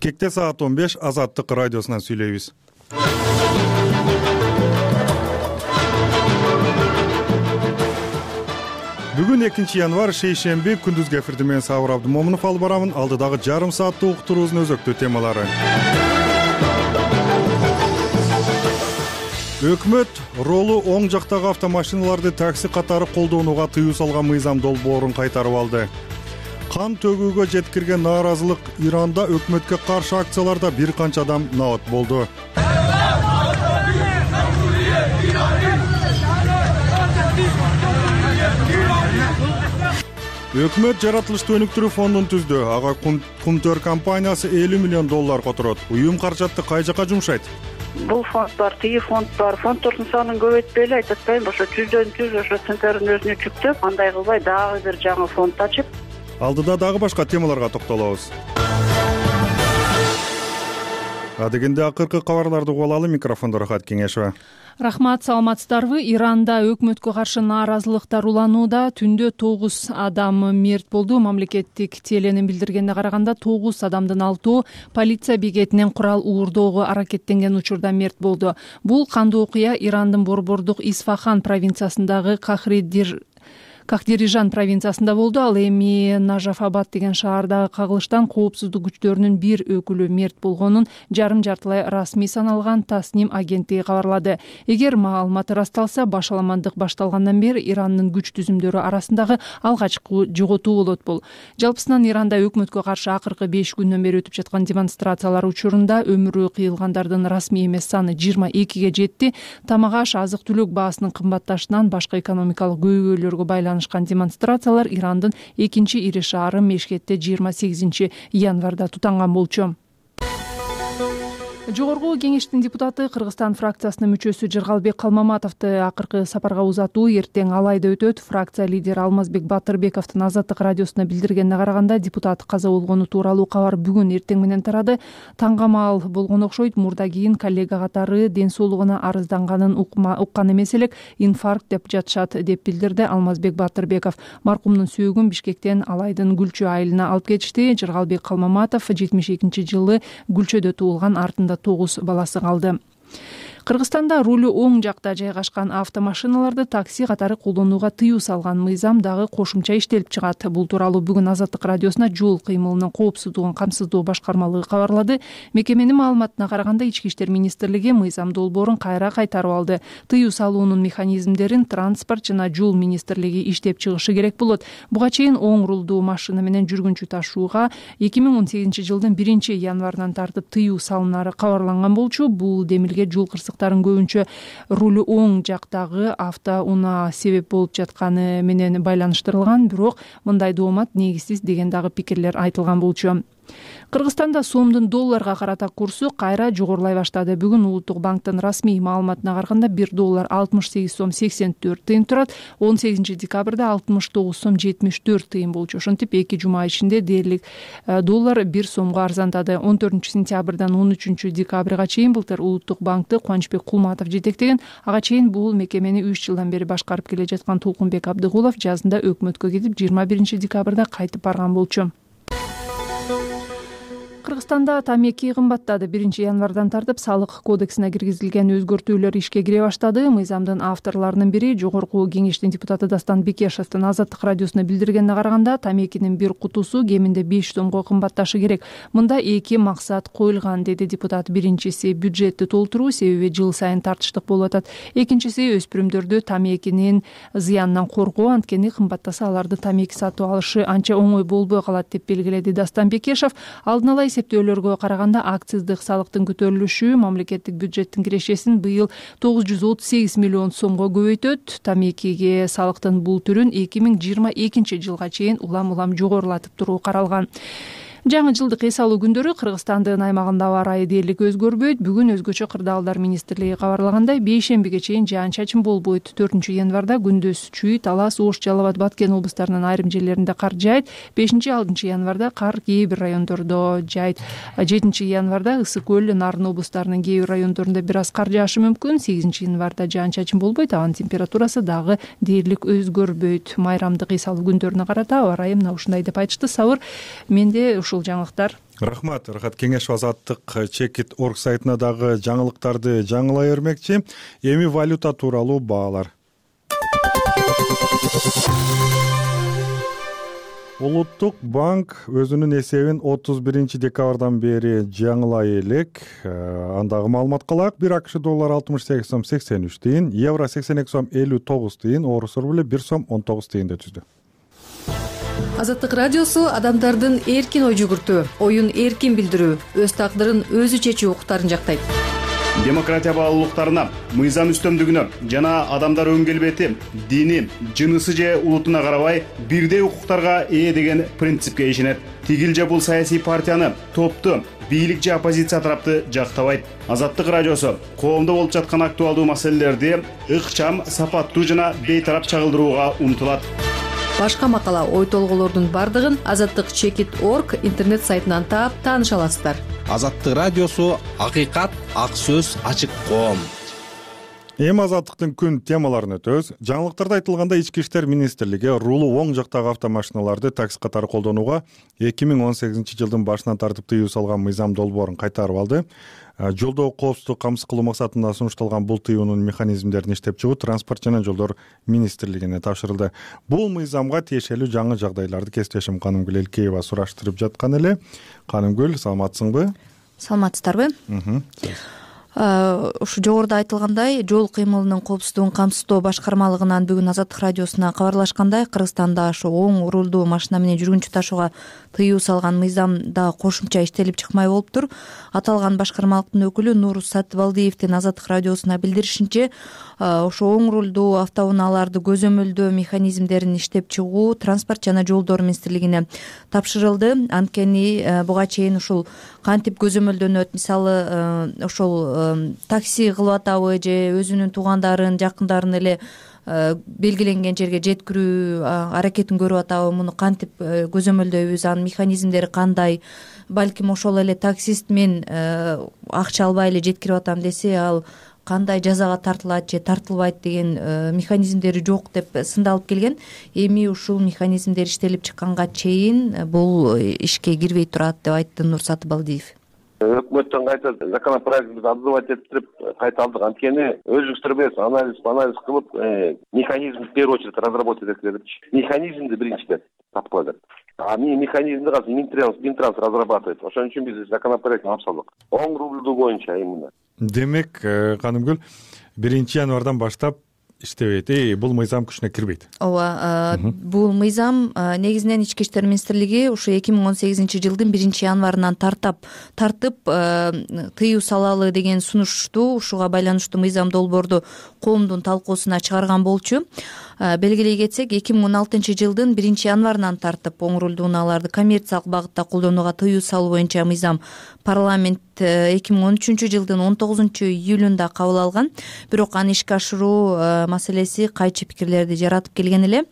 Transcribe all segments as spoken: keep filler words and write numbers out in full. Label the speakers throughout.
Speaker 1: Бишкекте саат он беш Азаттык радиосунан сүйлөйбүз. Бүгүн экинчи январь шейшемби, күндүзгү эфирди мен Сабыр Абдымомунов алып барамын. Алдыдагы жарым сааттык уктуруубуздун өзөктүү темалары. Өкмөт ролу оң жактагы автомашиналарды такси катары колдонууга тыюу салган мыйзам долбоорун кайтарып алды. Кан төгүүгө жеткирген нааразылык Иранда өкмөткө каршы акцияларда бир канча адам набат болду. Өкмөт жаратылыштуу өнүктүрүү фондун түздү. Ага Кумтөр компаниясы элүү миллион доллар которот. Уюм каражатты кай жака жумшайт?
Speaker 2: Бул фонд бар, тиги фонд бар. Фонддордун санын көбөйтпөй эле айтып атпайбы, ошо жүздөн жүз ошо центрдин өзүнө жүктөп, андай кылбай дагы бир жаңы фонд ачып.
Speaker 1: Алдыда дагы башка темаларга токтолобуз. Адегенде акыркы кабарларды угуп алалы. Микрофондо Рахат Кеңешова.
Speaker 3: Рахмат, саламатсыздарбы? Иранда өкмөткө каршы нааразылыктар уланууда. Түндө тогуз адам мерт болду. Мамлекеттик теленин билдиргенине караганда тогуз адамдын алтоо полиция бекетинен курал уурдоого аракеттенген учурда мерт болду. Бул кандуу окуя Ирандын борбордук Исфахан провинциясындагы Кахридир Кахдирижан провинциясында болду. Ал эми Нажафабад деген шаардагы кагылыштан коопсуздук күчтөрүнүн бир өкүлү мерт болгонун жарым жартылай расмий саналган Тасним агенттиги кабарлады. Эгер маалыматы расталса, башаламандык башталгандан бери Ирандын күч түзүмдөрү арасындагы алгачкы жоготуу болот бул. Жалпысынан Иранда өкмөткө каршы акыркы беш күндөн бери өтүп жаткан демонстрациялар учурунда өмүрү кыйылгандардын расмий эмес саны жыйырма экиге жетти. Тамак-аш, азык-түлүк баасынын кымбатташынан башка экономикалык көйгөйлөргө байланышкан демонстрациялар Ирандын экинчи ири шаары Мешкетте жыйырма сегизинчи январда тутанган болчу. Жогорку кеңештин депутаты Кыргызстан фракциясынын мүчөсү Жыргалбек Калмаматовду акыркы сапарга узатуу эртең Алайда өтөт. Фракция лидери Алмазбек Батырбековдун Азаттык радиосуна билдиргенине караганда, депутат каза болгону тууралуу кабар бүгүн эртең менен тарады. Таңгамал болгон окшойт. Мурда кийин коллега катары ден соолугуна арызданганын уккан эмес элек, инфаркт деп жатышат деп билдирди Алмазбек Батырбеков. Маркумдун сөөгүн Бишкектен Алайдын Гүлчө айылына алып кетишти. Жыргалбек Калмаматов жетимиш экинчи жылы Гүлчөдө туулган, артында тогуз баласы калды. Кыргызстанда рулу оң жакта жайгашкан автомашиналарды такси катары колдонууга тыюу салган мыйзам дагы кошумча иштелип чыгат. Бул тууралуу бүгүн Азаттык радиосуна жол кыймылынын коопсуздугун камсыздоо башкармалыгы кабарлады. Мекеменин маалыматына караганда, Ички иштер министрлиги мыйзам долбоорун кайра кайтарып алды. Тыюу салуунун механизмдерин транспорт жана жол министрлиги иштеп чыгышы керек болот. Буга чейин оң рулдуу машина менен жүргүнчү ташууга эки миң он сегизинчи жылдын биринчи январынан тартып тыюу салынары кабарланган болчу. Бул демилге жол кырсыктарын көбүнчө рулу оң жактагы автоунаа себеп болуп жатканы менен байланыштырылган, бирок мындай доомат негизсиз деген дагы пикирлер айтылган болчу. Кыргызстанда сомдун долларга карата курсу кайра жогорулай баштады. Бүгүн Улуттук банктын расмий маалыматына караганда бир доллар алтымыш сегиз сом сексен төрт тыйын турат. он сегизинчи декабрда алтымыш тогуз сом жетимиш төрт тыйын болчу. Ошентип эки жума ичинде дээрлик доллар бир сомго арзандады. он төртүнчү сентябрдан он үчүнчү декабрга чейин былтыр Улуттук банкты Кубанычбек Кулматов жетектеген. Ага чейин бул мекемени үч жылдан бери башкарып келе жаткан Толкунбек Абдыгулов жазында өкмөткө кетип, жыйырма биринчи декабрда кайтып барган болчу. Кыргызстанда тамеки кымбаттады. биринчи январдан тартып салык кодексине киргизилген өзгөртүүлөр ишке кире баштады. Мыйзамдын авторлорунун бири жогорку кеңештин депутаты Дастан Бекешевдин Азаттык радиосуна билдиргенине караганда, тамекинин бир кутусу кеминде беш сомго кымбатташы керек. Мында эки максат коюлган, деди депутат. Биринчиси бюджетти толтуруу, себеби жыл сайын тартыштык болуп атат. Экинчиси өспүрүмдөрдү тамекинин зыянынан коргоо, анткени кымбаттаса аларды тамеки сатып алышы анча оңой болбой калат деп белгиледи Дастан Бекешев. Алдын ала эсептөөлөргө караганда, акциздик салыктын көтөрүлүшү мамлекеттик бюджеттин кирешесин быйыл тогуз жүз отуз сегиз миллион сомго көбөйтөт. Тамекиге салыктын бул түрүн эки миң жыйырма экинчи жылга чейин улам-улам жогорулатып туруу каралган. Жаңы жылдык эс алуу күндөрү Кыргызстандын аймагында аба ырайы дээрлик өзгөрбөйт. Бүгүн өзгөчө кырдаалдар министрлиги кабарлагандай, бейшембиге чейин жаан-чачын болбойт. төртүнчү январда күндүз Чүй, Талас, Ош, Жалал Абад, Баткен облустарынын айрым жерлеринде кар жаайт. бешинчи алтынчы январда кар кээ бир райондордо жаайт. жетинчи январда Ысык көл, Нарын облустарынын кээ бир райондорунда бир аз кар жаашы мүмкүн. сегизинчи январда жаан-чачын болбойт. Абанын температурасы дагы дээрлик өзгөрбөйт. Майрамдык эс алуу күндөрүнө карата аба ырайы мына ушундай деп айтышты. Сабыр, менде ушул жаңылыктар.
Speaker 1: Рахмат. Рахат Кеңешов азаттык чекит точка орг сайтына дагы жаңылыктарды жаңылай бермекчи. Эми валюта тууралуу баалар. Улуттук банк өзүнүн эсебин отуз биринчи декабрдан бери жаңылай элек. Андагы маалыматка ылайык бир акш доллары алтымыш сегиз сом сексен үч тыйын, евро сексен эки сом элүү тогуз тыйын, орус рубль бир сом он тогуз тыйынды түздү.
Speaker 4: Азаттык радиосу адамдардын эркин ой жүгүртүү, оюн эркин билдирүү, өз тагдырын өзү чечүү укуктарын жактайт.
Speaker 5: Демократия баалуулуктарына, мыйзам үстөмдүгүнө жана адамдар өң келбети, дини, жынысы же улутуна карабай бирдей укуктарга ээ деген принципке ишенет. Тигил же бул саясий партияны, топту, бийлик же оппозиция тарапты жактабайт. Азаттык радиосу коомдо болуп жаткан актуалдуу маселелерди ыкчам, сапаттуу жана бейтарап чагылдырууга умтулат.
Speaker 4: Башка макала, ой толголордун бардыгын азаттык чекит точка орг интернет сайтынан таап тааныша аласыздар.
Speaker 6: Азаттык радиосу акыйкат, ак сөз, ачык коом.
Speaker 1: Эми азаттыктын күн темаларын өтөбүз. Жаңылыктарда айтылгандай, Ички иштер министрлиги рулуу оң жактагы автомашиналарды такси катары колдонууга эки миң он сегизинчи жылдын башынан тартып тыюу салган мыйзам долбоорун кайтарып алды. Жолдогу коопсуздукту камсыз кылуу максатында сунушталган бул тыюунун механизмдерин иштеп чыгуу Транспорт жана жолдор министрлигине тапшырылды. Бул мыйзамга тиешелүү жаңы жагдайларды кесиптешим Канымгүл Элкеева сураштырып жаткан эле. Канымгүл, саламатсыңбы?
Speaker 7: Саламатсыздарбы? Ушу жогоруда айтылгандай, жол кыймылынын коопсуздугун камсыздоо башкармалыгынан бүгүн Азаттык радиосуна кабарлашкандай, Кыргызстанда ошо оң рулдуу машина менен жүргүнчү ташууга тыюу салган мыйзам да кошумча иштелип чыкмай болуптур. Аталган башкармалыктын өкүлү Нуруз Сатыбалдиевдин Азаттык радиосуна билдиришинче, ошо оң рулдуу автоунааларды көзөмөлдөө механизмдерин иштеп чыгуу Транспорт жана жолдор министрлигине тапшырылды. Анткени буга чейин ушул кантип көзөмөлдөнөт, мисалы ошол такси кылып атабы же өзүнүн туугандарын, жакындарын эле белгиленген жерге жеткирүү аракетин көрүп атабы, муну кантип көзөмөлдөйбүз, анын механизмдери кандай, балким ошол эле таксист мен акча албай эле жеткирип атам десе, ал кандай жазага тартылат же тартылбайт деген механизмдери жок деп сындалып келген. Эми ушул механизмдер иштелип чыкканга чейин бул ишке кирбей турат деп айтты Нур Сатыбалдиев.
Speaker 8: Өкмөттөн кайта законопроектти отзывать этип кайта алдык. Анткени өзүңүздөр билесиз, анализ анализ кылып механизмди в первую очередь разработать этип депчи. Механизмди биринчиден тапкыла деп. А механизмди азыр Минтранс Минтранс разрабатывает. Ошон үчүн биз законопроектти алып салдык. Оң рулдуу боюнча именно.
Speaker 1: Демек, Канымгүл, биринчи январдан баштап иштебейт. Эй, бул мыйзам күчүнө кирбейт.
Speaker 7: Ооба, бул мыйзам негизинен Ички иштер министрлиги ушу эки миң он сегизинчи жылдын биринчи январынан тартап тартып тыюу салалы деген сунушту, ушуга байланыштуу мыйзам долбоорду коомдун талкуусуна чыгарган болчу. Белгилей кетсек, эки миң он алтынчы жылдын биринчи январынан тартып оң рулдуу унааларды коммерциялык багытта колдонууга тыюу салуу боюнча мыйзам парламент эки миң он үчүнчү жылдын он тогузунчу июлунда кабыл алган. Бирок аны ишке ашыруу маселеси кайчы пикирлерди жаратып келген эле.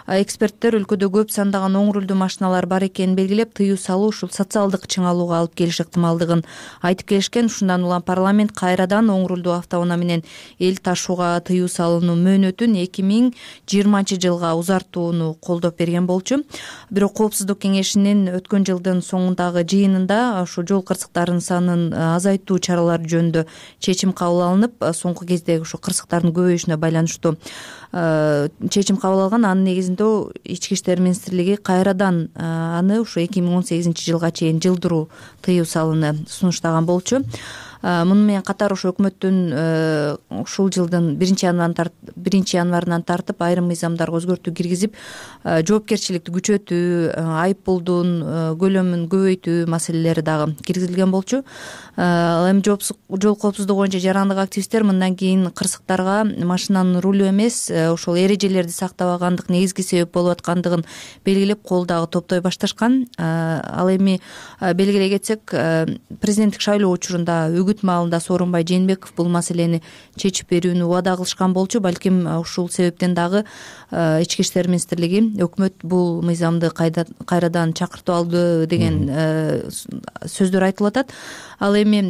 Speaker 7: Эксперттер өлкөдө көп сандаган оң рулдуу машиналар бар экенин белгилеп, тыюу салуу ушул социалдык чыңалууга алып келиш ыктымалдыгын айтып келишкен. Ушундан улам парламент кайрадан оң рулдуу автоунаа менен эл ташууга тыюу салуунун мөөнөтүн эки миң жыйырманчы жылга узартууну колдоп берген болчу. Бирок Коопсуздук кеңешинин өткөн жылдын соңундагы жыйынында ошо жол кырсыктарынын санын азайтуу чаралары жөнүндө чечим кабыл алынып, соңку кезде ошо кырсыктардын көбөйүшүнө байланыштуу чечим кабыл алган. Анын негизинде Ички иштер министрлиги кайрадан аны ушу эки миң он сегизинчи жылга чейин жылдыруу тыюу салууну сунуштаган болчу. Муну менен катар ошо өкмөттүн ушул жылдын биринчи январынан тартып айрым мыйзамдарга өзгөртүү киргизип, жоопкерчиликти күчөтүү, айып пулдун көлөмүн көбөйтүү маселелери дагы киргизилген болчу. Ал эми жол коопсуздугу боюнча жарандык активисттер мындан кийин кырсыктарга машинанын рулу эмес, ошол эрежелерди сактабагандык негизги себеп болуп аткандыгын белгилеп, кол дагы топтой башташкан. Ал эми белгилей кетсек, президенттик шайлоо учурунда үгүт маалында Сооронбай Жээнбеков бул маселени чечип берүүнү убада кылышкан болчу. Балким ушул себептен дагы Ички иштер министрлиги өкмөт бул мыйзамды кайрадан чакыртып алды деген сөздөр айтылып атат. Ал эми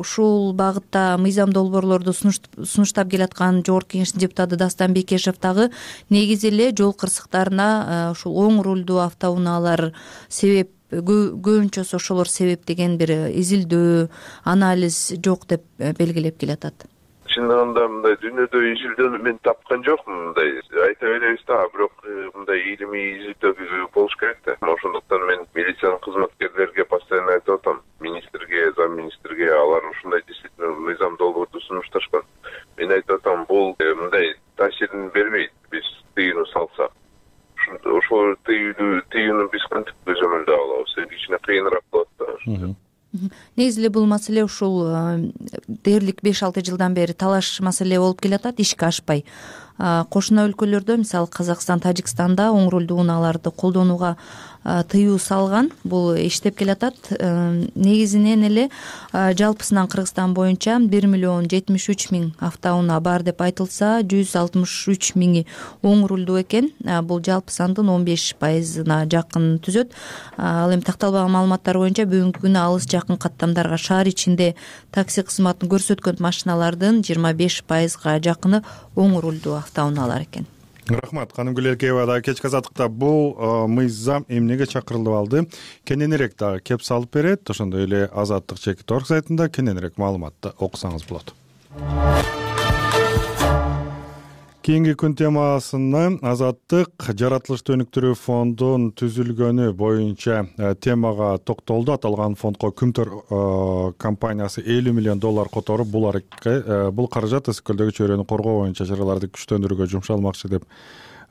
Speaker 7: ушул багытта мыйзам долбоорлорду сунуштап келаткан Жогорку Кеңештин депутаты Дастан Бекешев дагы негизи эле жол кырсыктарына ушул оң рулдуу автоунаалар себеп көбүнчөсү ошолор себеп деген бир изилдөө анализ жок деп белгилеп келатат.
Speaker 9: Чындыгында мындай дүйнөдө изилдөөнү мен тапкан жокмун. Мындай айта беребиз да, бирок мындай илимий изилдөө болуш керек да. Ошондуктан мен милициянын кызматкерлерге постоянно айтып атам, министрге, замминистрге, алар ушундай действительно мыйзам долбоорду сунушташкан. Мен айтып атам, бул мындай таасирин бербейт, биз тыюуну салсак. Ошол тыюуну тыюуну биз кантип көзөмөлдөй алабыз? Кичине кыйыныраак болот да.
Speaker 7: Негизи эле бул маселе ушул дээрлик беш алты жылдан бери талаш маселе болуп келатат, ишке ашпай. Кошуна өлкөлөрдө, мисалы Казакстан, Тажикстанда оң рулдуу унааларды колдонууга тыюу салган. Бул иштеп келатат. Негизинен эле жалпысынан Кыргызстан боюнча бир миллион жетимиш үч миң автоунаа бар деп айтылса, жүз алтымыш үч миңи оң рулдуу экен. Бул жалпы сандын он беш пайызына жакын түзөт. Ал эми такталбаган маалыматтар боюнча бүгүнкү күнү алыс жакын каттамдарга шаар ичинде такси кызматын көрсөткөн машиналардын жыйырма беш пайызга жакыны оң рулдуу автоунаалар экен.
Speaker 1: Рахмат, Канымгүл Эркебаева. Да кечки азаттыкта бул мыйзам эмнеге чакырылып алды? Кененирээк дагы кеп салып берет. Ошондой эле Азаттык чекит орг сайтында кененирээк маалыматты окусаңыз болот. Кийинки күн темасына Азаттык жаратылышты өнүктүрүү фондунун түзүлгөнү боюнча темага токтолду. Аталган фондко Күмтөр компаниясы элүү миллион доллар которуп, бул бул каражат ысык көлдөгү чөйрөнү коргоо боюнча чараларды күчтөндүрүүгө жумшалмакчы деп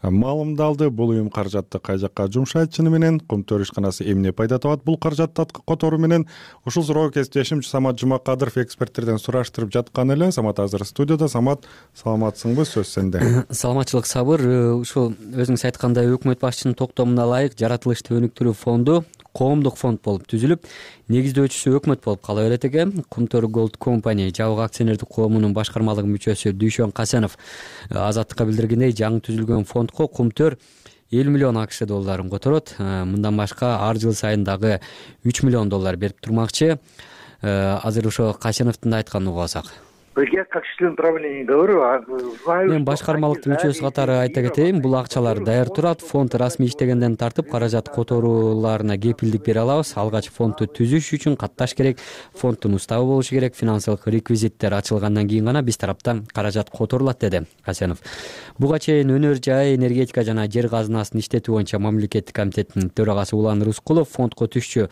Speaker 1: маалымдалды. Бул уюм каражатты кай жакка жумшайт чыны менен? Күмтөр ишканасы эмне пайда табат бул каражатты которуу менен? Ушул суроого кесиптешим Самат Жумакадыров эксперттерден сураштырып жаткан эле. Самат азыр студияда. Самат, саламатсыңбы? Сөз сенде.
Speaker 10: Саламатчылык, Сабыр. Ушул өзүңүз айткандай өкмөт башчынын токтомуна ылайык жаратылышты өнүктүрүү фонду коомдук фонд болуп түзүлүп, негиздөөчүсү өкмөт болуп кала берет экен. Күмтөр Gold Company жабык акционердик коомунун башкармалык мүчөсү Дүйшөн Касенов Азаттыкка билдиргендей, жаңы түзүлгөн фондко Күмтөр элүү миллион акш долларын которот. Мындан башка ар жыл сайын дагы үч миллион доллар берип турмакчы. Азыр ошо Касеновдун айтканын угуп алсак.
Speaker 11: Я как член правления говорю, знаю.
Speaker 10: Мен башкармалыктын мүчөсү катары айта кетейин, бул акчалар даяр турат. Фонд расмий иштегенден тартып каражат которууларына кепилдик бере алабыз. Алгач фондду түзүш үчүн катташ керек, фонддун уставы болушу керек, финансылык реквизиттер ачылгандан кийин гана биз тараптан каражат которулат, деди Касенов. Буга чейин өнөр жай, энергетика жана жер казынасын иштетүү боюнча мамлекеттик комитеттин төрагасы Улан Рыскулов фондко түшчү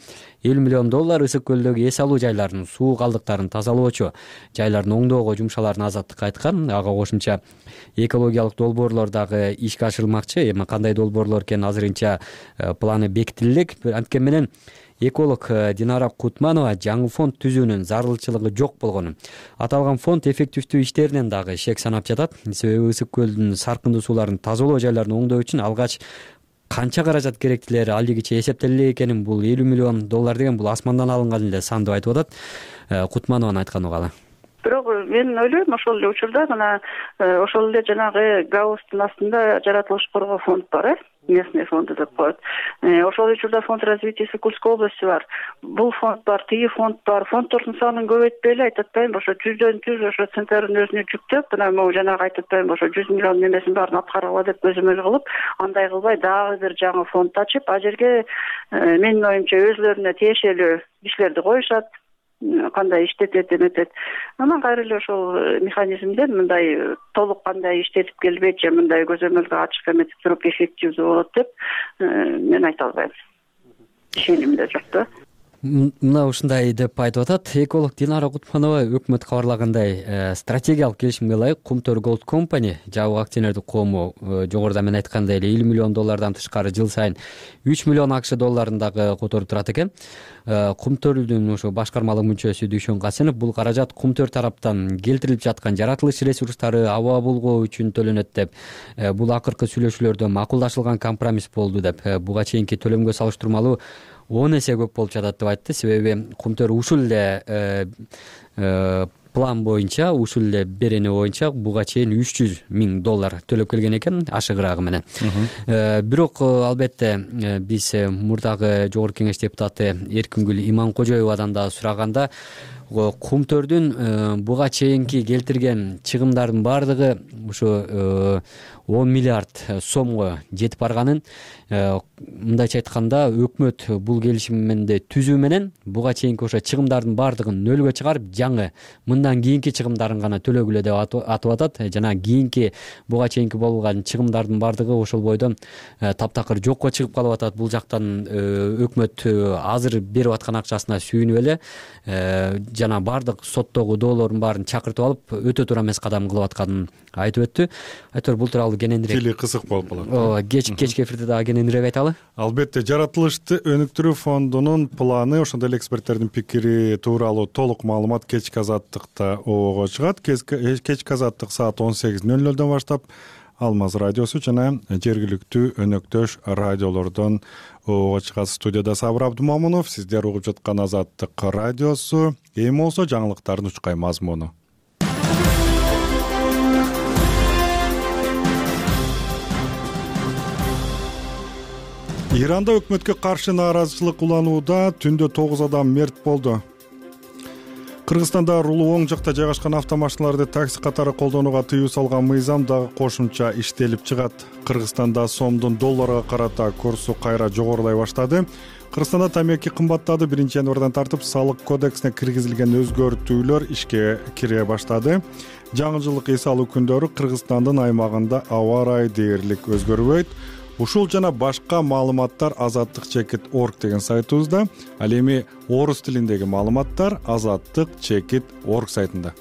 Speaker 10: элүү миллион доллар ысык көлдөгү эс алуу жайларынын суу калдыктарын тазалоочу жайлардын оңдоого жумшаларын Азаттыкка айткан. Ага кошумча экологиялык долбоорлор дагы ишке ашырылмакчы. Эми кандай долбоорлор экени азырынча планы бекитиле элек. Анткени менен эколог Динара Кутманова жаңы фонд түзүүнүн зарылчылыгы жок болгонун, аталган фонд эффективдүү иштеринен дагы шек санап жатат. Себеби ысык көлдүн саркындуу сууларын тазалоо жайларын оңдоо үчүн алгач канча каражат керектилери алигиче эсептеле экенин, бул элүү миллион доллар деген бул асмандан алынган эле сан деп айтып атат. Кутманованын айтканын угалы.
Speaker 2: Бирок мен ойлойм, ошол эле учурда мына ошол эле жанагы ГАУСтун астында жаратылыш коргоо фонд бар, э местный фонду деп коет. Ошол учурда фонд развития Сокульской области бар. Бул фонд бар, тиги фонд бар. Фонддордун санын көбөйтпөй эле айтып атпайбы, ошо жүздөн жүз ошо центрдин өзүнө жүктөп, мына могу жанагы айтып атпайбы, ошо жүз миллион немесин баарын аткаргыла деп көзөмөл кылып, андай кылбай дагы бир жаңы фонд ачып, а жерге менин оюмча өзүлөрүнө тиешелүү кишилерди коюшат, кандай иштетет эметет. Анан кайра эле ошол механизмден мындай толук кандай иштетип келбейт же мындай көзөмөлгө ачык эметип туруп эффективдүү болот деп мен айта албайм. Ишенимде жок да.
Speaker 10: Мына ушундай деп айтып атат эколог Динара Кутманова. Өкмөт кабарлагандай, стратегиялык келишимге ылайык Күмтөр Gold Company жабык акционердик коому жогоруда мен айткандай эле элүү миллион доллардан тышкары жыл сайын үч миллион акш долларын дагы которуп турат экен. Күмтөрдүн ошо башкармалык мүчөсү Дүйшөн Касенов бул каражат Күмтөр тараптан келтирилип жаткан жаратылыш ресурстары аба булгоо үчүн төлөнөт деп, бул акыркы сүйлөшүүлөрдө макулдашылган компромисс болду деп, буга чейинки төлөмгө салыштырмалуу он эсе көп болуп жатат деп айтты. Себеби Күмтөр ушул эле план боюнча, ушул эле берене боюнча буга чейин үч жүз миң доллар төлөп келген экен ашыгыраагы менен. Бирок албетте биз мурдагы жогорку кеңеш депутаты Эркингүл Иманкожоевадан да сураганда, кумтөрдүн буга чейинки келтирген чыгымдардын баардыгы ушу он миллиард сомго жетип барганын, мындайча айтканда өкмөт бул келишимди түзүү менен буга чейинки ошо чыгымдардын баардыгын нөлгө чыгарып, жаңы мындан кийинки чыгымдарын гана төлөгүлө деп атып атат. Жана кийинки буга чейинки болгон чыгымдардын баардыгы ошол бойдон таптакыр жокко чыгып калып атат. Бул жактан өкмөт азыр берип аткан акчасына сүйүнүп эле жана баардык соттогу доолордун баарын чакыртып алып өтө туура эмес кадам кылып атканын айтып өттү. Айтор бул тууралуу кененирээк
Speaker 1: тили кысык болуп калат.
Speaker 10: Ооба, кеч кечки эфирде дагы кененирээк айталы.
Speaker 1: Албетте, жаратылышты өнүктүрүү фондунун планы, ошондой эле эксперттердин пикири тууралуу толук маалымат кечки азаттыкта обого чыгат. Кечки азаттык саат он сегиз нөл нөлдөн баштап Алмаз радиосу жана жергиликтүү өнөктөш радиолордон обого чыгат. Студияда Сабыр Абдумамунов, сиздер угуп жаткан Азаттык радиосу. Эми болсо жаңылыктардын учкай мазмуну. Иранда өкмөткө каршы нааразычылык уланууда түндө тогуз адам мерт болду. Кыргызстанда рулуу оң жакта жайгашкан автомашиналарды такси катары колдонууга тыюу салган мыйзам дагы кошумча иштелип чыгат. Кыргызстанда сомдун долларга карата курсу кайра жогорулай баштады. Кыргызстанда тамеки кымбаттады. биринчи январдан тартып салык кодексине киргизилген өзгөртүүлөр ишке кире баштады. Жаңы жылдык эс алуу күндөрү Кыргызстандын аймагында аба ырайы дээрлик өзгөрбөйт. Ушул жана башка маалыматтар азаттык чекит точка орг деген сайтыбызда, ал эми орус тилиндеги маалыматтар азаттык чекит точка орг сайтында.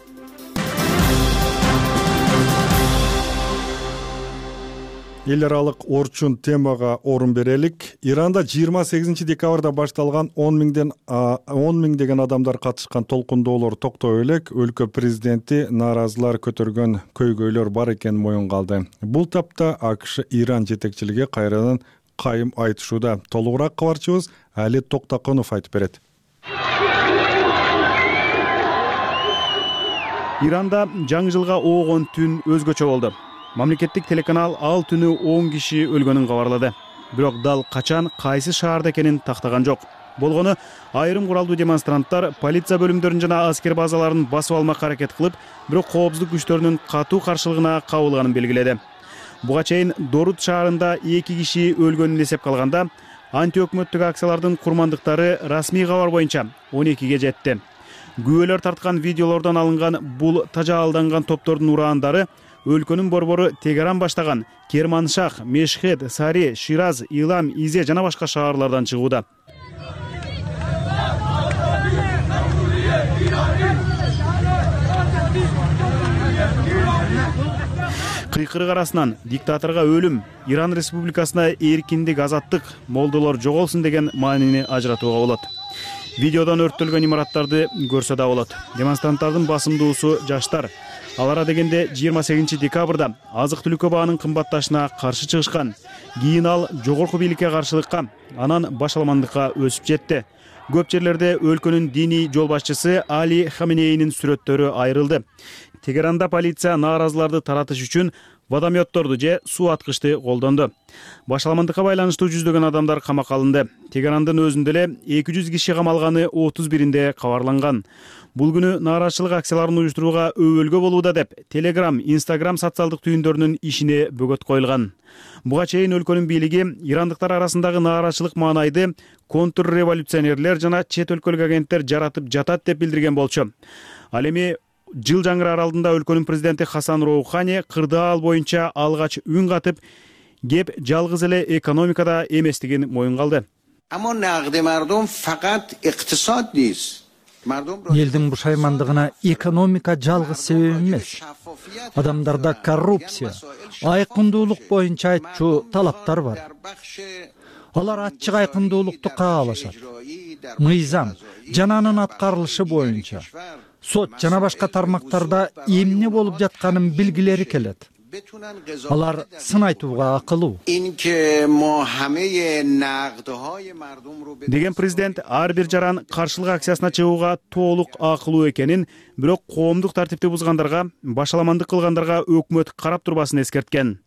Speaker 1: Эл аралык орчун темага орун берелик. Иранда жыйырма сегизинчи декабрда башталган он миңден он миңдеген адамдар катышкан толкундоолор токтой элек. Өлкө президенти нааразылар көтөргөн көйгөйлөр бар экенин моюнга алды. Бул тапта АКШ Иран жетекчилиги кайрадан кайым айтышууда. Толугураак кабарчыбыз Али Токтаконов айтып берет.
Speaker 5: Иранда жаңы жылга оогон түн өзгөчө болду. Мамлекеттик телеканал ал түнү он киши өлгөнүн кабарлады. Бирок дал качан кайсы шаарда экенин тактаган жок. Болгону айрым куралдуу демонстранттар полиция бөлүмдөрүн жана аскер базаларын басып алмак аракет кылып, бирок коопсуздук күчтөрүнүн катуу каршылыгына кабылганын белгиледи. Буга чейин Дорут шаарында эки киши өлгөнүн эсепке алганда, антиөкмөттүк акциялардын курмандыктары расмий кабар боюнча он экиге жетти. Күбөлөр тарткан видеолордон алынган бул тажаалданган топтордун ураандары өлкөнүн борбору Тегеран баштаган Керманшах, Мешхед, Сари, Шираз, Илам, Изе жана башка шаарлардан чыгууда. Кыйкырык арасынан диктаторго өлүм, Иран республикасына эркиндик, азаттык, молдолор жоголсун деген маанини ажыратууга болот. Видеодон өрттөлгөн имараттарды көрсө да болот. Демонстранттардын басымдуусу жаштар. Алара дегенде жыйырма сегизинчи декабрда азык-түлүккө баанын кымбатташына каршы чыгышкан. Кийин ал жогорку бийликке каршылыкка, анан башаламандыкка өсүп жетти. Көп жерлерде өлкөнүн диний жол башчысы Али Хаменейнин сүрөттөрү айрылды. Тегеранда полиция нааразыларды таратыш үчүн водометторду же суу аткычты колдонду. Башаламандыкка байланыштуу жүздөгөн адамдар камакка алынды. Тегерандын өзүндө эле эки жүз киши камалганы отуз биринде кабарланган. Бул күнү нааразычылык акцияларын уюштурууга өбөлгө болууда деп Telegram, Instagram социалдык түйүндөрүнүн ишине бөгөт коюлган. Буга чейин өлкөнүн бийлиги ирандыктар арасындагы нааразычылык маанайды контрреволюционерлер жана чет өлкөлүк агенттер жаратып жатат деп билдирген болчу. Ал эми жыл жаңыры аралыгында өлкөнүн президенти Хасан Роухани кырдаал боюнча алгач үн катып, кеп жалгыз эле экономикада эместигин моюнга алды.
Speaker 12: Аммо нагди мардум факат иктисод дейс.
Speaker 13: Элдин бушаймандыгына экономика жалгыз себеп эмес. Адамдарда коррупция, айкындуулук боюнча айтчу талаптар бар. Алар ачык айкындуулукту каалашат. Мыйзам жана анын аткарылышы боюнча сот жана башка тармактарда эмне болуп жатканын билгилери келет. Алар сын айтууга акылуу.
Speaker 5: Деген президент ар бир жаран каршылык акциясына чыгууга толук акылуу экенин, бирок коомдук тартипти бузгандарга, башаламандык кылгандарга өкмөт карап турбасын эскерткен.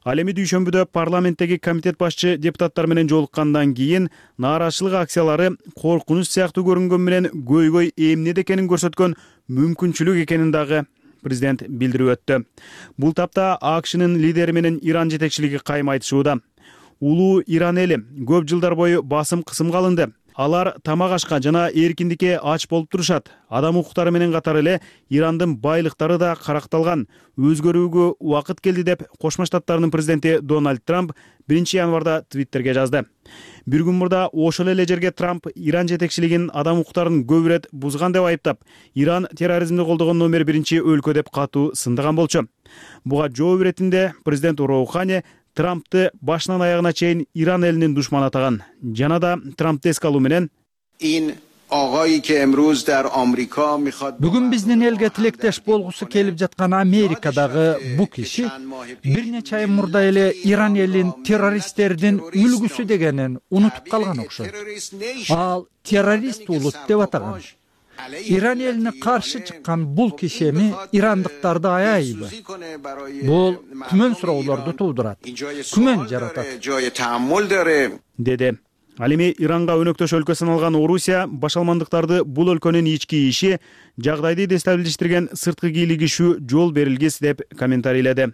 Speaker 5: Ал эми дүйшөмбүдө парламенттеги комитет башчы депутаттар менен жолуккандан кийин нааразычылык акциялары коркунуч сыяктуу көрүнгөн менен көйгөй эмнеде экенин көрсөткөн мүмкүнчүлүк экенин дагы президент билдирип өттү. Бул тапта АКШнын лидери менен Иран жетекчилиги кайым айтышууда. Улуу Иран эли көп жылдар бою басым кысымга алынды. Алар тамак ашка жана эркиндикке ач болуп турушат. Адам укуктары менен катар эле Ирандын байлыктары да каракталган. Өзгөрүүгө убакыт келди деп Кошмо Штаттардын президенти Дональд Трамп биринчи январда Твиттерге жазды. Бир күн мурда ошол эле жерге Трамп Иран жетекчилигин адам укуктарын көп ирет бузган деп айыптап, Иран терроризмди колдогон номер биринчи өлкө деп катуу сындаган болчу. Буга жооп иретинде президент Роухани Трампты башынан аягына чейин Иран элинин душманы атаган. Жана да Трампты эске алуу менен
Speaker 13: бүгүн биздин элге тилектеш болгусу келип жаткан Америкадагы бу киши бир нече ай мурда эле Иран элин террористтердин үлгүсү дегенин унутуп калган окшойт. Ал террорист улут деп атаган. Иран элине каршы чыккан бул киши эми ирандыктарды аябайбы? Бул күмөн суроолорду туудурат, күмөн жаратат,
Speaker 5: деди. Ал эми Иранга өнөктөш өлкө саналган Орусия башалмандыктарды бул өлкөнүн ички иши, жагдайды дестабилиштирген сырткы кийлигишүү жол берилгис деп комментарийледи.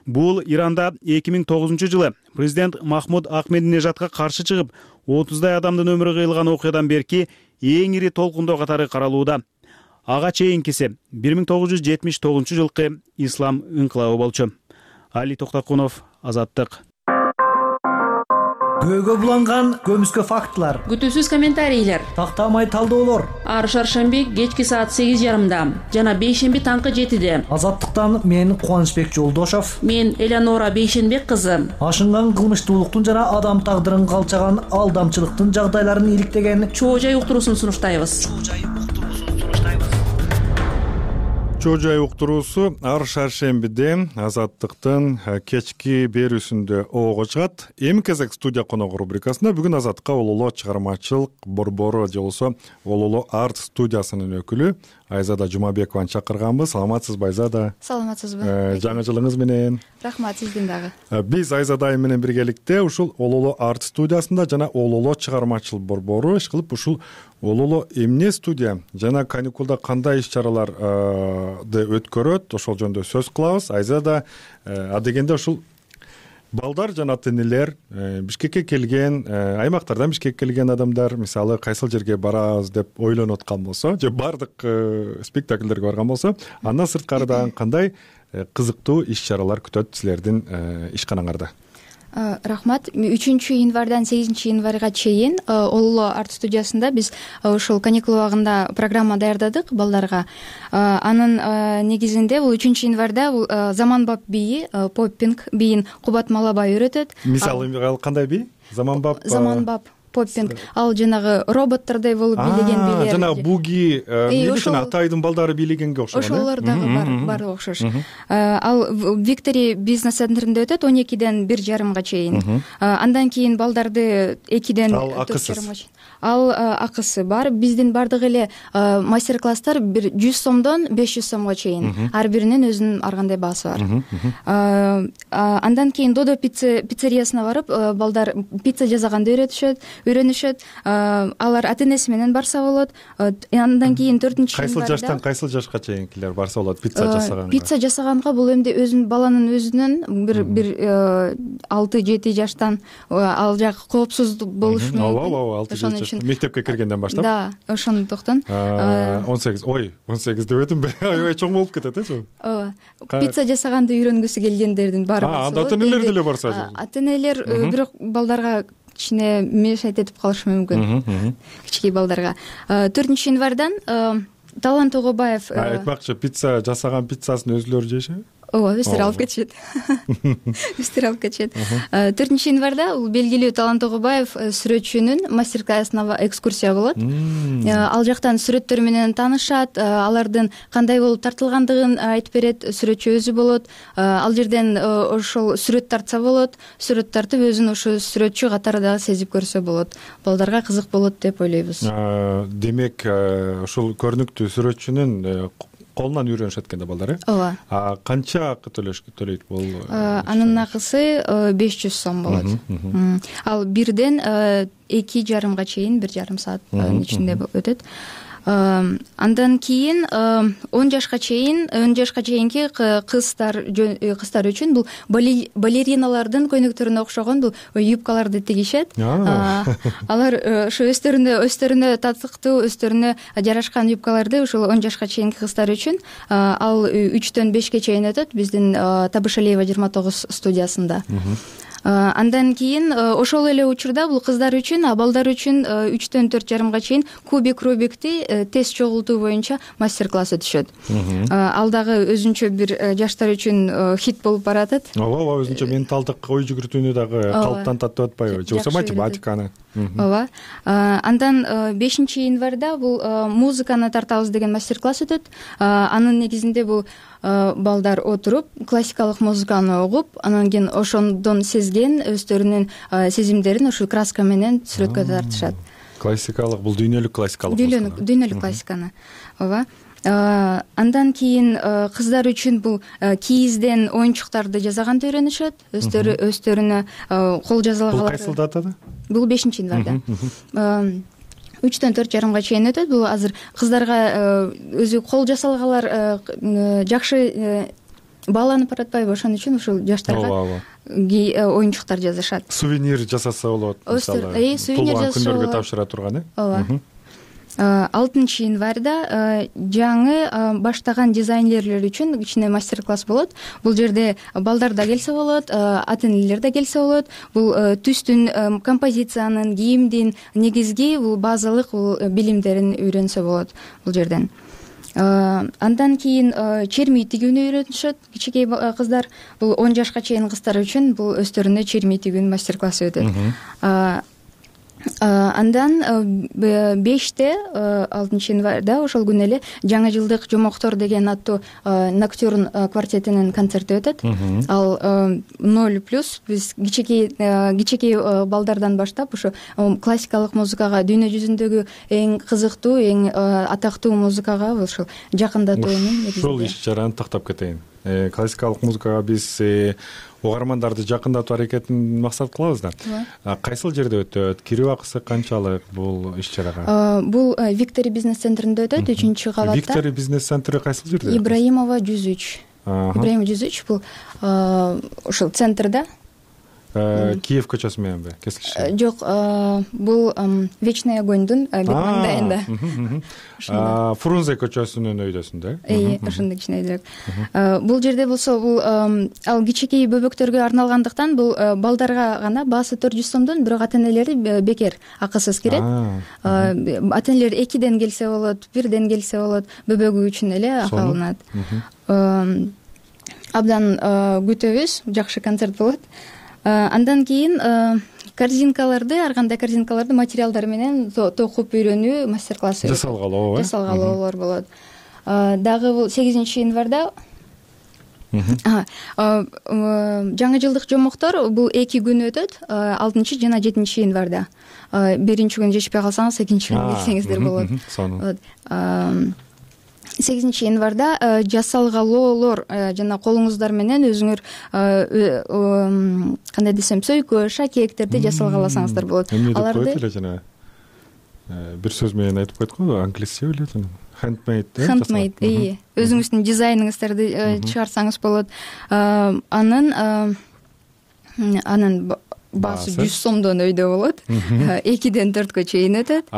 Speaker 5: Бул Иранда эки миң тогузунчу жылы президент Махмуд Ахмединежадка каршы чыгып, отуздай адамдын өмүрү кыйылган окуядан берки эң ири толкундоо катары каралууда. Ага чейинкиси бир миң тогуз жүз жетимиш тогузунчу жылкы ислам инкылабы болчу. Али Токтокунов, Азаттык.
Speaker 14: Көйгө буланган көмүскө фактылар,
Speaker 15: күтүүсүз комментарийлер,
Speaker 14: тактамай талдоолор.
Speaker 15: Ар шаршемби кечки саат сегиз жарымда жана бейшемби таңкы жетиде.
Speaker 14: Азаттыктан мен Кубанычбек Жолдошов,
Speaker 15: мен Элеонора Бейшенбек кызы.
Speaker 14: Ашынган кылмыштуулуктун жана адам тагдырын калчаган алдамчылыктын жагдайларын иликтеген
Speaker 15: чоо жай уктуруусун сунуштайбыз.
Speaker 1: Чоо жай уктуруусу ар шаршембиде Азаттыктын кечки берүүсүндө ого чыгат. Эми кезек студия коногу рубрикасында бүгүн Азаттыкка Ололо чыгармачылык борбору же болбосо Ололо арт студиясынын өкүлү Айзада Жумабекованы чакырганбыз. Саламатсызбы Айзада?
Speaker 16: Саламатсызбы.
Speaker 1: Жаңы жылыңыз менен.
Speaker 16: Рахмат, сиздин дагы.
Speaker 1: Биз Айзада айым менен биргеликте ушул Ололо арт студиясында жана Ололо чыгармачылык борбору иш кылып ушул Ололо эмне студия жана каникулда кандай иш-чараларды өткөрөт, ошол жөнүндө сөз кылабыз. Айзада адегенде ушул балдар жана ата-энелер Бишкекке келген, аймактардан Бишкекке келген адамдар мисалы кайсыл жерге барабыз деп ойлонуп аткан болсо, же бардык спектакльдерге барган болсо, андан сырткары дагы кандай кызыктуу иш-чаралар күтөт силердин ишканаңарда?
Speaker 16: Рахмат. үчүнчү январдан сегизинчи январга чейин Ололо арт студиясында биз ушул каникул убагында программа даярдадык балдарга. Анын негизинде бул үчүнчү январда заманбап бийи, поппинг бийин Кубат Малабай үйрөтөт.
Speaker 1: Мисалы кандай бий? Заманбап.
Speaker 16: Заманбап поппинг. Ал жанагы роботтордой болуп бийлеген бийлер.
Speaker 1: Жана буги, милишин Атайдын балдары бийлегенге окшогон.
Speaker 16: Ошолор дагы бар, бары окшош. Ал Виктори бизнес центринде өтөт он экиден бир жарымга чейин. Андан кийин балдарды экиден төрт жарымга чейин. Ал акысы бар. Биздин бардык эле мастер-класстар бир жүз сомдон беш жүз сомго чейин. Ар биринин өзүнүн ар кандай баасы бар. Андан кийин Додо пиццериясына барып, балдар пицца жасаганды үйрөтүшөт. Үйрөнүшөт. Алар ата-энеси менен барса болот. Андан кийин төртүнчү январда
Speaker 1: кайсыл жаштан кайсыл жашка чейинкилер барса болот пицца жасаганга?
Speaker 16: Пицца жасаганга бул эмди өзүнүн баланын өзүнүн бир бир алты жети жаштан ал жак коопсуз болушу мүмкүн.
Speaker 1: Ооба, ооба, алты жети жаш. Мектепке киргенден баштап?
Speaker 16: Да, ошондуктан.
Speaker 1: он сегиз, ой, он сегиз деп өтүм. Аябай чоң болуп кетет э.
Speaker 16: Ооба. Пицца жасаганды үйрөнгүсү келгендердин баары
Speaker 1: бар. Анда ата-энелер деле барса.
Speaker 16: Ата-энелер бирок балдарга кичине мешайт этип калышы мүмкүн. Кички балдарга. төртүнчү январдан Талант Тогобаев
Speaker 1: айтмакчы, пицца жасаган пиццасын өзүлөрү жешеби?
Speaker 16: Ооба, өздөрү алып кетишет. Өздөрү алып кетишет. төртүнчү январда бул белгилүү Талант Тогобаев сүрөтчүнүн мастер-классына экскурсия болот. Ал жактан сүрөттөр менен таанышат, алардын кандай болуп тартылгандыгын айтып берет, сүрөтчү өзү болот. Ал жерден ошол сүрөт тартса болот, сүрөт тартып өзүн ошо сүрөтчү катары дагы сезип көрсө болот. Балдарга кызык болот деп ойлойбуз.
Speaker 1: Демек, ушул көрүнүктүү сүрөтчүнүн колунан үйрөнүшөт экен да балдар, э?
Speaker 16: ооба.
Speaker 1: А канча акы төлөйт бул?
Speaker 16: Анын акысы беш жүз сом болот. Ал бирден эки жарымга чейин бир жарым сааттын ичинде өтөт. Андан кийин он жашка чейин он жашка чейинки кыздар кыздар үчүн бул балериналардын көйнөктөрүнө окшогон бул юбкаларды тигишет. Алар ошо өздөрүнө өздөрүнө татыктуу, өздөрүнө жарашкан юбкаларды ушул он жашка чейинки кыздар үчүн ал үчтөн бешке чейин өтөт биздин Табышалиева жыйырма тогуз студиясында. Андан кийин ошол эле учурда бул кыздар үчүн, а балдар үчүн үчтөн төрт жарымга чейин кубик Рубикти тез чогултуу боюнча мастер-класс өтүшөт. Ал дагы өзүнчө бир жаштар үчүн хит болуп баратат.
Speaker 1: Ооба, ооба, өзүнчө менталдык ой жүгүртүүнү дагы калыптантат деп атпайбы? Же болбосо математиканы.
Speaker 16: Ооба. Андан бешинчи январда бул музыканы тартабыз деген мастер-класс өтөт. Анын негизинде бул балдар отуруп, классикалык музыканы угуп, анан кийин ошондон сезген өздөрүнүн сезимдерин ошол краска менен сүрөткө тартышат.
Speaker 1: Классикалык, бул дүйнөлүк классикалык музыка.
Speaker 16: Дүйнөлүк классиканы. Ооба. Андан кийин кыздар үчүн бул кийизден оюнчуктарды жасаганды үйрөнүшөт. Өздөрү өздөрүнө кол жазалгалар.
Speaker 1: Бул кайсыл датада?
Speaker 16: Бул бешинчи январда. үчтөн төрт жарымга чейин өтөт. Бул азыр кыздарга өзү кол жасалгалар жакшы бааланып баратпайбы, ошон үчүн ушул жаштарга оюнчуктар жасашат.
Speaker 1: Сувенир жасаса болот, мисалы.
Speaker 16: Э, сувенир жасаса болот.
Speaker 1: Күндөргө тапшыра турган, э?
Speaker 16: Ооба. алтынчы январда жаңы баштаган дизайнерлер үчүн кичине мастер-класс болот. Бул жерде балдар да келсе болот, ата энелер да келсе болот. Бул түстүн, композициянын, кийимдин негизги бул базалык бул билимдерин үйрөнсө болот бул жерден. Андан кийин черми тигүүнү үйрөнүшөт кичинекей кыздар. Бул он жашка чейин кыздар үчүн бул өздөрүнө черми тигүүнүн мастер-классы өтөт. Андан беште алтынчы январда ошол күнү эле жаңы жылдык жомоктор деген аттуу Ноктюрн квартетинин концерти өтөт. Ал ноль плюс биз кичинекей кичинекей балдардан баштап ошо классикалык музыкага, дүйнө жүзүндөгү эң кызыктуу, эң атактуу музыкага ошол жакындатууну
Speaker 1: ушул иш чараны тактап кетейин. Классикалык музыкага биз угармандарды жакындатуу аракетин максат кылабыз да. Кайсыл жерде өтөт? Кирүү акысы канчалык бул иш чарага?
Speaker 16: Бул Виктори бизнес центринде өтөт, үчүнчү кабатта.
Speaker 1: Виктори бизнес центри кайсыл жерде?
Speaker 16: Ибраимова жүз үч. Ибраимова жүз үч бул ошол центрда.
Speaker 1: Киев көчөсү мененби? Кескичтүү?
Speaker 16: Жок, бул Вечный огоньдун бет маңдайында.
Speaker 1: Фрунзе көчөсүнүн өйдөсүндө.
Speaker 16: Э, ошондой кичинекей. Бул жерде болсо бул ал кичинекей бөбөктөргө арналгандыктан бул балдарга гана баасы төрт жүз сомдон, бирок ата энелери бекер акысыз кирет. Ата энелер экиден келсе болот, бирден келсе болот, бөбөгү үчүн эле акы алынат. Абдан күтөбүз, жакшы концерт болот. Андан кийин корзинкаларды, ар кандай корзинкаларды материалдар менен токуп үйрөнүү мастер-классы
Speaker 1: жасалгалоо,
Speaker 16: жасалгалоолор болот. Дагы бул сегизинчи январда жаңы жылдык жомоктор бул эки күн өтөт, алтынчы жана жетинчи январда. Биринчи күнү жетишпей калсаңыз, экинчи күнү келсеңиздер болот. сегизинчи январда жасалгалоолор жана колуңуздар менен өзүңөр кандай десем, сөйкө, шакектерди жасалгаласаңыздар болот.
Speaker 1: Аларды жана бир сөз менен айтып койдук го, англисче билет. Handmade, э?
Speaker 16: Handmade, э. Өзүңүздүн дизайныңыздарды чыгарсаңыз болот. Анын анын баасы жүз сомдон өйдө болот. экиден төрткө чейин өтөт.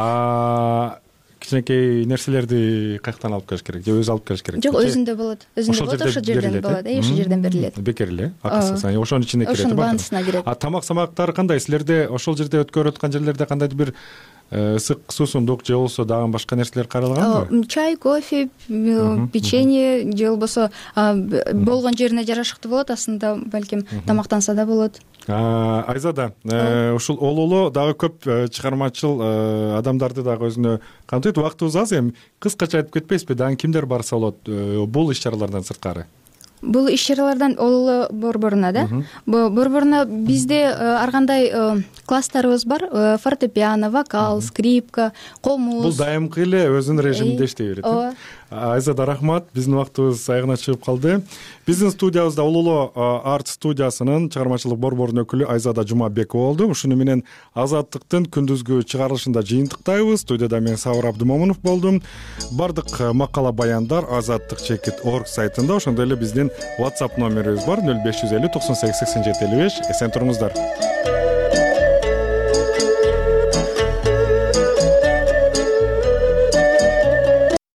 Speaker 1: Кичинекей нерселерди каяктан алып келиш керек? Же өзү алып келиш керек?
Speaker 16: Жок, өзүндө болот. Өзүндө болот, ошол жерден болот. Ошол жерден берилет.
Speaker 1: Бекер эле, акысыз. Ошонун ичине кирет.
Speaker 16: Ошонун баанысына кирет.
Speaker 1: А тамак-самактар кандай? Силерде ошол жерде өткөрүп аткан жерлерде кандайдыр бир ысык суусундук же болбосо дагы башка нерселер каралганбы?
Speaker 16: Чай, кофе, печенье же болбосо болгон жерине жарашыктуу болот. Астында балким тамактанса да болот.
Speaker 1: Айзада, ушул ололо дагы көп чыгармачыл адамдарды дагы өзүнө камтыйт. Убактыбыз аз, эми кыскача айтып кетпейсизби? Дагы кимдер барса болот бул иш-чаралардан сырткары?
Speaker 16: Бул иш-чаралардан ололо борборуна да. Борборуна бизде ар кандай класстарыбыз бар. Фортепиано, вокал, скрипка, комуз.
Speaker 1: Бул дайымкы эле өзүнүн режиминде иштей берет. Айзада рахмат. Биздин убактыбыз аягына чыгып калды. Биздин студиябызда Улуулоо арт студиясынын чыгармачылык борборунун өкүлү Айзада Жумабекова болду. Ушуну менен Азаттыктын күндүзгү чыгарылышында жыйынтыктайбыз. Студияда мен Сабыр Абдымомунов болдум. Бардык макала баяндар азаттык чекит орг сайтында, ошондой эле биздин WhatsApp номерибиз бар нөл беш жүз элүү токсон сегиз сексен жети элүү беш. Эсен туруңуздар.